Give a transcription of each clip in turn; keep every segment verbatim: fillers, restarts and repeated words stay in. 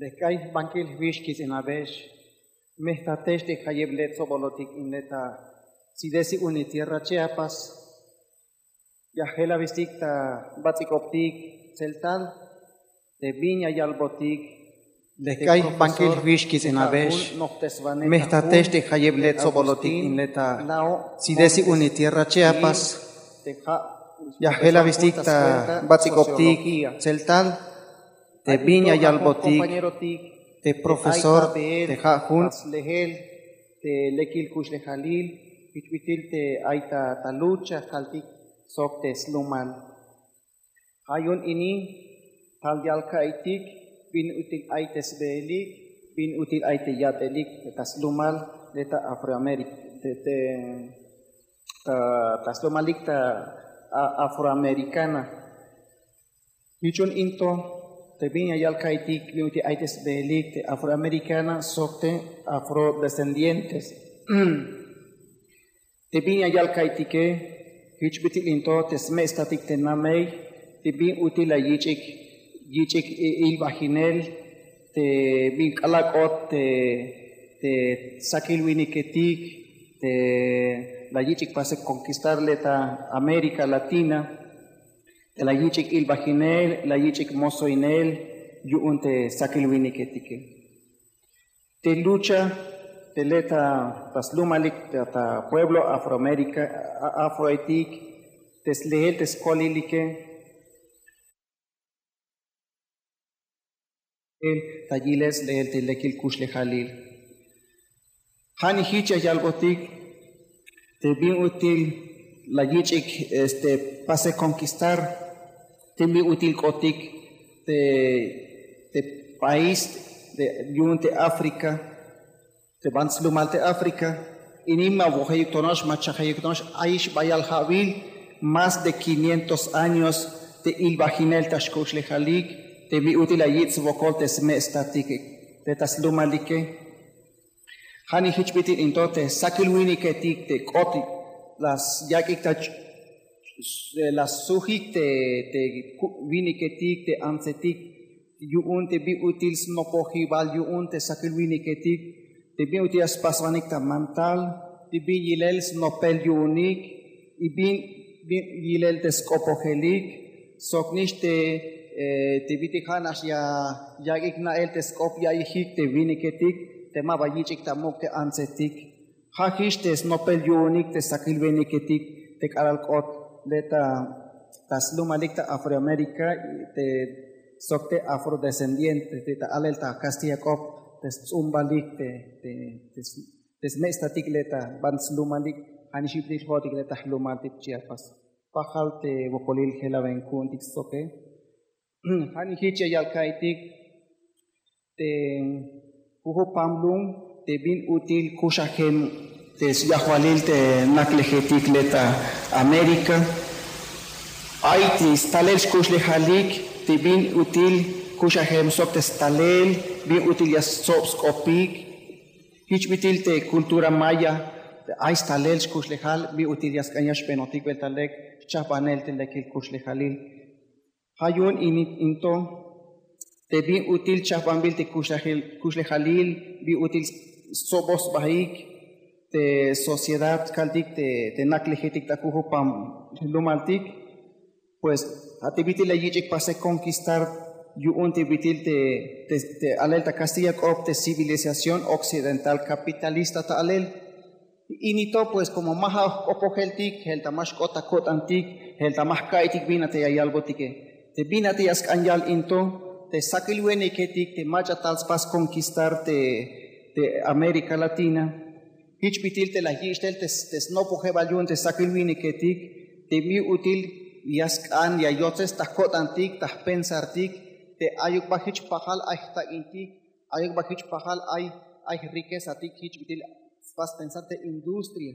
Lek k'ay jbankil jwix kits'inabex, mejtatex te jayeb le' tsobolotik in le' ta tsidesi uni tierra Chiapas. Ya jel abistik ta bats'ik'optik tseltal te bin ya yalbotik. Lek k'ay jbankil jwix kits'inabex, mejtatex te jayeb le' tsobolotik in le' ta tsidesi uni tierra Chiapas. Ya jel abistik ta bats'ik'optik tseltal te bin ya yalbotik te profesor te ja' jun slejel te lekil kuxlejalil, jich bit'il te ay ta lucha kaltik sok te slumal. Ja' yu'un ini tal yal ka'iytik bin ut'il ay te sbehelik, bin ut'il ay te yat'elik ta slumal le' ta Afroamérica, te, te, ta, ta slumalik ta a-, Afroamericana. Jich yu'un in to te bin ya yal ka'iytik bin ut'il ay te sbehelik te Afroamericana sok te afrodescendientes. Te bin ya yal ka'iytike, jich bit'il in to te sme'statik te namey te bin ut'il la yich'ik, yich'ik i-, ilbajinel te bin k'alal k'ot te, te sakil winiketik te la yich'ik pasel conquistar le' ta América Latina, te la yich'ik ilbajinel, la yich'ik mosoinel yu'un te sakil winiketike. Te lucha te le' ta, ta slumalik ta, ta pueblo Afroamérica, a-, afroetik, te slehel te skolilike, ta yilel slehel te lekil kuxlejalil. Ja'nix jich ya yalbotik te bin ut'il la yich'ik, este, pasel conquistar, te bin ut'il k'otik te, te país te, yu'un te África, te ban slumal te África, ini ma wojeyuk tonox, ma chajeyuk tonox, ayix bayal ja'wil más de quinientos años te ilbajinel ta xkuxlejalik, te bin ut'il la yich' swokol te sme'statik te ta slumalike. Ja'nix jich bit'il in to te sakil winiketik te k'ot la yak'ik ta ch-, la sujik te, te ku-, winiketik te antsetik, yu'un te bin ut'il snopojibal yu'un te sakil winiketik, te bin ut'il ya spaswanik ta mantal, te bin yilel snopel yu'unik, y bin, bin yilel te sk'opojelik, soknix te, eh, te bit'il ja'nax ya yak'ik na'el te sk'op ya'iyjik te winiketik te maba yich'ik ta muk' te antsetik. Ja' jich te snopel yu'unik te sakil winiketik te k'alal k'ot le' ta, ta slumalik ta Afroamérica, te sok te afrodescendiente te ta alel ta kastilla k'op te sts'umbalik te, te, te s-, te sme'statik le' ta ban slumalik, ja'nix jich bit'il jo'otik le' ta jlumaltik Chiapas. Pajal te wokolil jelaben ku'untik stsoke. Ja'nix jich ya yal ka'iytik te jujupam lum te bin ut'il kuxajem te syajwalil te naklejetik le' ta América. Ay te stalel xkuxlejalik te bin ut'il kuxajem sok te stalel bin ut'il ya stsob sk'opik. Jich bit'il te cultura maya te ay stalel xkuxlejal bin ut'il ya sk'an ya xbenotik bel ta lek xchajbanel te lekil kuxlejalil. Ja' yu'un in, in to te bin ut'il chajbanbil te kuxlejal-, kuxlejalil, bin ut'il stsoboj sbaik te sociedad kaltik te, te naklejetik ta jujupam jlumaltik, pues ja' te bit'il la yich'ik pasel conquistar yu'un te bit'il te, te, te alel ta kastilla k'op te civilización occidental capitalista ta alel. Ini to pues como ma ja' jk'opojeltik, jelta ma xk'ot ta ko'tantik, jelta ma jka'iytik bin a te ya yalbotike. Te bin a te ya sk'an yal in to te sakil winiketik te mach'a tal spas conquistar te, te América Latina. Jich bit'il te la yich' tel te, te snopojebal yu'un te sakil winiketik te bin ut'il ya sk'an ya yotzes ta jko'tantik, ta jpensartik, te ayuk ba jich pajal ay jtak'intik, ayuk ba jich pajal ay, ay jriquezatik, jich bit'il spas pensar te industria.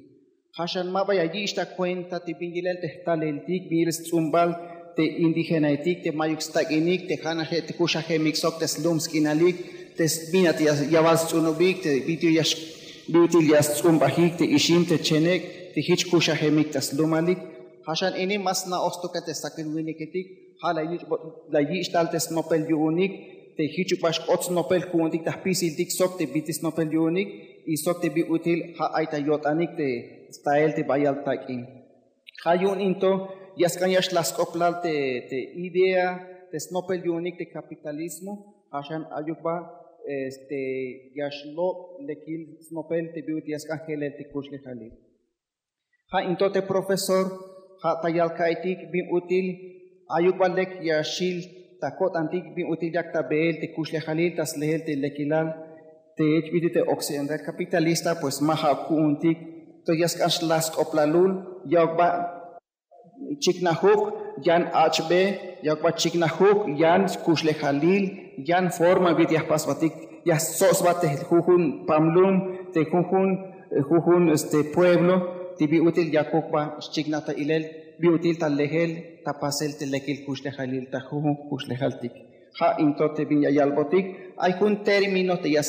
Ja' xan ma ba ya yich' ta cuenta te bin yilel te jtaleltik, bin yilel sts'umbal te indigenaetik te mayuk stak'inik, te ja'nax te kuxajemik sok te slum sk'inalik, te s-, bin a te ya, ya bal sts'unubik, te bin ut'il ya x-, bin ut'il ya sts'umbajik te ixim te chenek' te jich kuxajemik ta slumalik. Ja' xan ini ma sna'oj stukel te sakil winiketik, ja' la yich', la yich' tal te snopel yu'unik, te jich yu'un ba xk'ot snopel ku'untik ta jpisiltik sok te bit'il snopel yu'unik y sok te bin ut'il ja' ay ta yo'tanik te stael te bayal tak'in. Ja' yu'un into ya sk'an ya xlaj sk'oplal te te idea te snopel yu'unik te kapitalismo. Ja' xan ayuk ba este ya xlob' lekil snopel te bin ut'il ya sk'an jelel te kuxlejalil. Ja' into te profesor ja' ta yal ka'iytik bin ut'il ayuk ba lek ya xil ta ko'tantik bin ut'il yak ta beel te kuxlejalil ta sleel te lekilal te jich bit'il te occidental kapitalista pues ma ja' ku'untik. Entonces ya sk'an xlaj sk'oplalul ya ok ba chiknajuk yan ach'be ya ok ba chiknajuk yan kuxlejalil yan forma bit'il ya jpasbatik ya stsob sba te jujun pamlum te jujun jujun este pueblo te bin ut'il yakuk ba xchiknaj ta ilel bin ut'il ta lejel ta pasel te lekil kuxlejalil ta jujun kuxlejaltik. Ja' into te bin ya yalbotik ay jun término te ya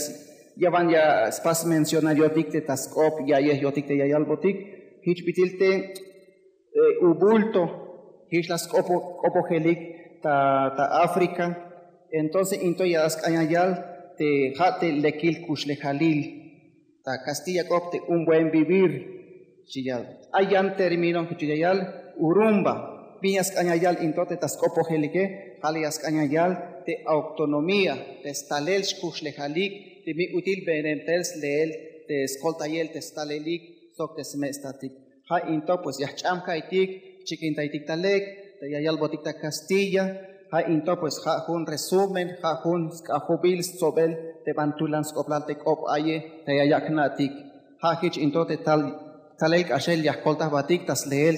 ya ban ya spas mencionar yo'tik te ta sk'op ya'yej yo'tik te ya yalbotik jich bit'il te ubulto jich la sk'opojelik ta ta África. Entonces into ya sk'an ya yal te ja' te lekil kuxlejalil ta kastilla k'op te un buen vivir. Xchi yal ay yan término jich ya yal urumba bin ya sk'an ya yal into te ta sk'opojelike ja' la ya sk'an ya yal te autonomía te stalel xkuxlejalik te bin ut'il benem tel sleel te skoltayel te stalelik sok te sme' statik. Ja' into pues ya jch'am ka'iytik jchikintaytik ta lek te ya yalbotik ta kastilla. Ja' into pues ja' jun resumen ja' jun sk'ajobil stsobel te ban tulan sk'oplal te k'op aye te ya yak' jna'tik. Ja' jich into te tal talel k'axel ya jkoltajbatik ta sleel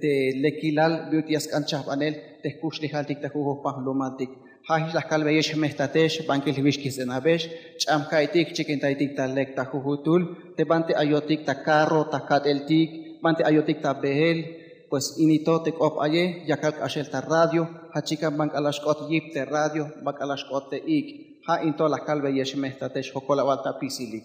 te lekilal bin ut'il ya sk'an chajbanel te jkuxlejaltik ta jujun jpajlumaltik. Ja' jich la jkalbeyex jmejtatex bankil jwix kits'inabex ch'am ka'iytik jchikintaytik ta lek ta jujutul te banti ayotik ta karro ta kat'eltik banti ayotik ta beel. Pues inito te k'op aye yakal k'axel ta radio ja' chikan ban k'alal xk'ot yip te radio ban k'alal xk'ot te ik'. Ja' into la jkalbeyex jmejtatex jokol awal ta apisilik.